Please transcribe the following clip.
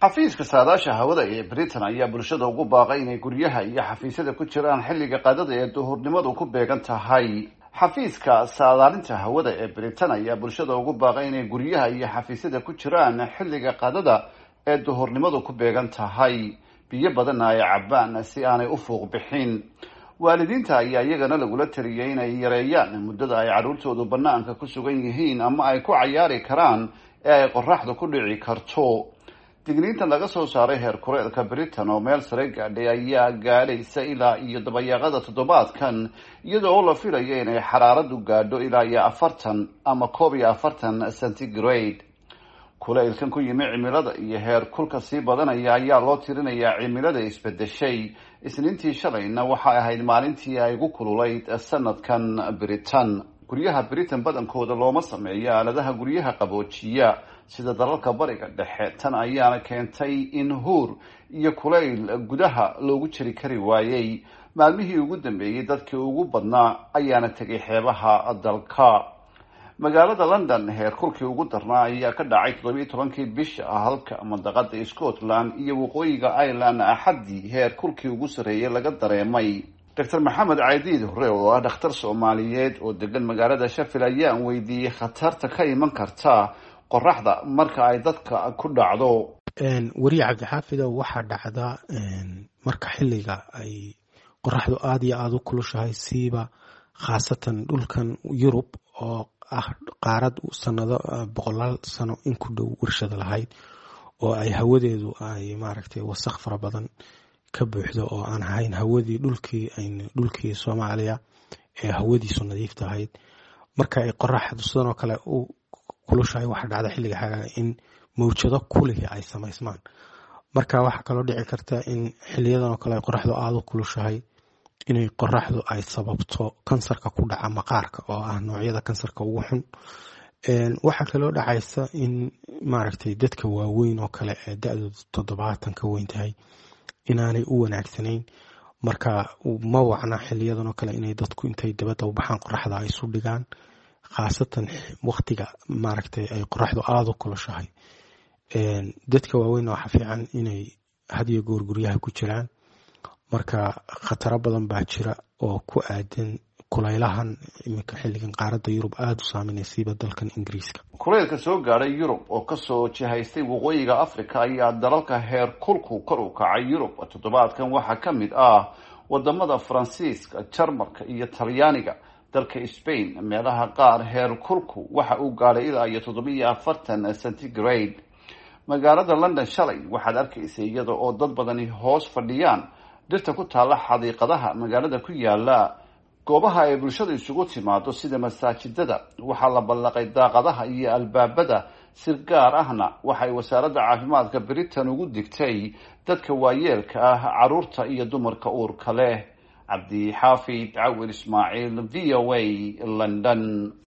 Xafiiska saadaasha hawada ee Britain ayaa bulshada ugu baaqay inay guryaha iyo xafiisyada ku jiraan xilliga qadada ee duhurnimadu ku beegan tahay. Xafiiska saadaalinta hawada ee Britain ayaa bulshada ugu baaqay inay guryaha iyo xafiisyada ku jiraan xilliga qadada ee duhurnimadu ku beegan tahay, biyo badanna ay cabbaan si aanay u fuuq bixin. Waalidiinta ayaa iyagana lagula taliyay inay yareeyaan muddada ay carruurtoodu bannaanka ku sugan yihiin ama ay ku cayaari karaan ee ay qorraxdu ku dhici karto. Digniintan laga soo saaray heer kuleelka Britain oo meel sare gaadhay ayaa gaadhaysa ilaa iyo dabayaaqada toddobaadkan, iyadoo la filayo inay xaraaradu gaadho ilaa iyo 40 ama 41 centigrade. Kulaylkan ku yimi cimilada iyo heer kulka sii badanaya ayaa loo tirinayaa cimilada isbedeshay. Isniintii shalayna waxay ahayd maalintii ay ugu kululayd sanadkan Britain. Guryaha Britain badankooda looma sameeyo aaladaha guryaha qaboojiya sida dalalka Bariga Dhexe. Tan ayaana keentay in huur iyo kulayl gudaha loogu jiri kari waayey. Maalmihii ugu dambeeyey dadkii ugu badnaa ayaana tegay xeebaha dalka. Magaalada London heer kulkii ugu darnaa ayaa ka dhacay 17-kii bisha, halka mandaqada Scotland iyo waqooyiga Ireland Axaddii heer kulkii ugu sarreeyay laga dareemay. Doctor Maxamed Caydiid Hore oo ah dhakhtar Soomaaliyeed oo degan magaalada Sheffield ayaan weydiiyey khatarta ka iman karta qoraxda marka ay dadka ku dhacdo. Weriye Cabdixaafidow, waxaa dhacda marka xilliga ay qoraxdu aada iyo aada u kulushahay, siiba khaasatan dhulkan Yurub oo ah qaarad sanado boqolaal sano in ku dhow warshada lahayd, oo ay hawadeedu ay maaragtay wasaq fara badan ka buuxdo, oo aan ahayn hawadii dhulkii dhulkii Soomaaliya ee hawadiisu nadiif tahayd. Marka ay qoraxdu sidan oo kale u kulushahay, waxaa dhacda xilliga xagaaga in mawjado kulihi ay samaysmaan. Marka waxaa kaloo dhici karta in xiliyadan oo kale ay qoraxdu aada u kulushahay inay qoraxdu ay sababto kansarka ku dhaca maqaarka, oo ah noocyada kansarka ugu xun. Waxaa kaloo dhacaysa in maaragtay dadka waaweyn oo kale ee da-doodu 70 ka weyn tahay inaanay u wanaagsanayn. Marka ma wacna xiliyadan oo kale inay dadku intay dabadda u baxaan qoraxda ay isu dhigaan, khaasatan waqtiga maaragtay ay qoraxdu aada u kulushahay. Dadka waaweyn waxaa fiican inay hadiyo goor guryaha ku jiraan. Marka khataro badan baa jira oo ku aadan kulaylahan iminka xilligan qaaradda Yurub aada u saameynaya, siiba dalkan Ingiriiska. Kulaylka soo gaadhay Yurub oo kasoo jihaystay waqooyiga Africa ayaa dalalka heer kulku kor u kacay Yurub toddobaadkan waxaa ka mid ah wadamada Faransiiska, Jarmalka iyo Talyaaniga. Dalka Spain meelaha qaar heer kulku waxa uu gaadhay ilaa iyo 47 centigrade. Magaalada London shalay waxaad arkaysay iyada oo dad badani hoos fadhiyaan dhirta ku taalla xadiiqadaha magaalada ku yaala. Goobaha ay bulshadu isugu timaado sida masaajidada waxaa la ballaqay daaqadaha iyo albaabada. Si gaar ahna waxay wasaaradda caafimaadka Britain ugu digtay dadka waayeelka ah, caruurta iyo dumarka uurka leh. Cabdixaafid Cawil Ismaaciil, VOA, London.